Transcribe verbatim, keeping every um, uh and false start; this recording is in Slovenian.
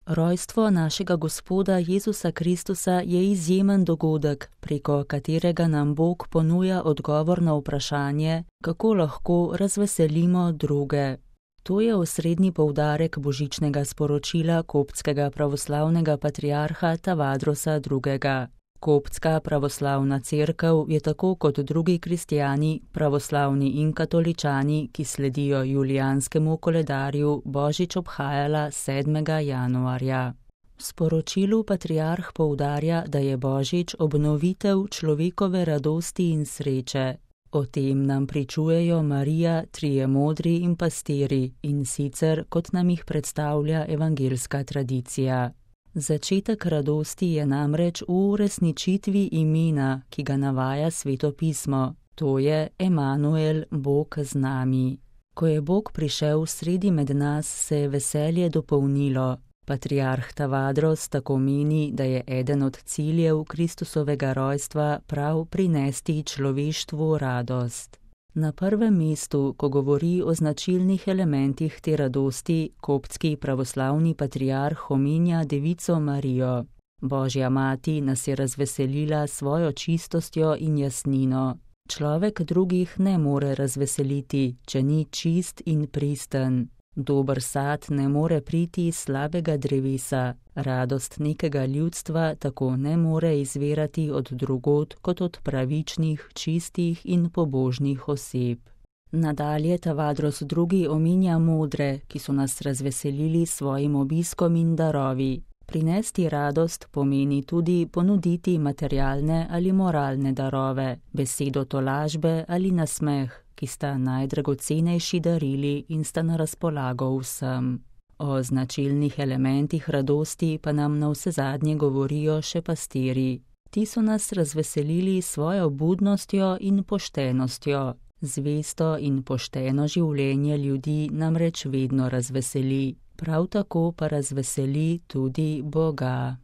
Rojstvo našega Gospoda Jezusa Kristusa je izjemen dogodek, preko katerega nam Bog ponuja odgovor na vprašanje, kako lahko razveselimo druge. To je osrednji poudarek božičnega sporočila koptskega pravoslavnega patriarha Tavadrosa drugega. Koptska pravoslavna cerkev je tako kot drugi kristjani, pravoslavni in katoličani, ki sledijo julijanskemu koledarju, božič obhajala sedmega januarja. V sporočilu patriarh poudarja, da je božič obnovitev človekove radosti in sreče. O tem nam pričujejo Marija, trije modri in pastiri, in sicer kot nam jih predstavlja evangeljska tradicija. Začetek radosti je namreč v uresničitvi imena, ki ga navaja Sveto pismo, to je Emanuel, Bog z nami. Ko je Bog prišel sredi med nas, se je veselje dopolnilo. Patriarh Tavadros tako meni, da je eden od ciljev Kristusovega rojstva prav prinesti človeštvu radost. Na prvem mestu, ko govori o značilnih elementih te radosti, koptski pravoslavni patriarh omenja Devico Marijo. Božja mati nas je razveselila svojo čistostjo in jasnino. Človek drugih ne more razveseliti, če ni čist in pristen. Dober sad ne more priti iz slabega drevesa, radost nekega ljudstva tako ne more izvirati od drugod kot od pravičnih, čistih in pobožnih oseb. Nadalje Tavadros drugi omenja modre, ki so nas razveselili s svojim obiskom in darovi. Prinesti radost pomeni tudi ponuditi materialne ali moralne darove, besedo tolažbe ali nasmeh, ki sta najdragocenejši darili in sta na razpolago vsem. O značilnih elementih radosti pa nam navsezadnje govorijo še pastiri. Ti so nas razveselili s svojo budnostjo in poštenostjo. Zvesto in pošteno življenje ljudi namreč vedno razveseli, prav tako pa razveseli tudi Boga.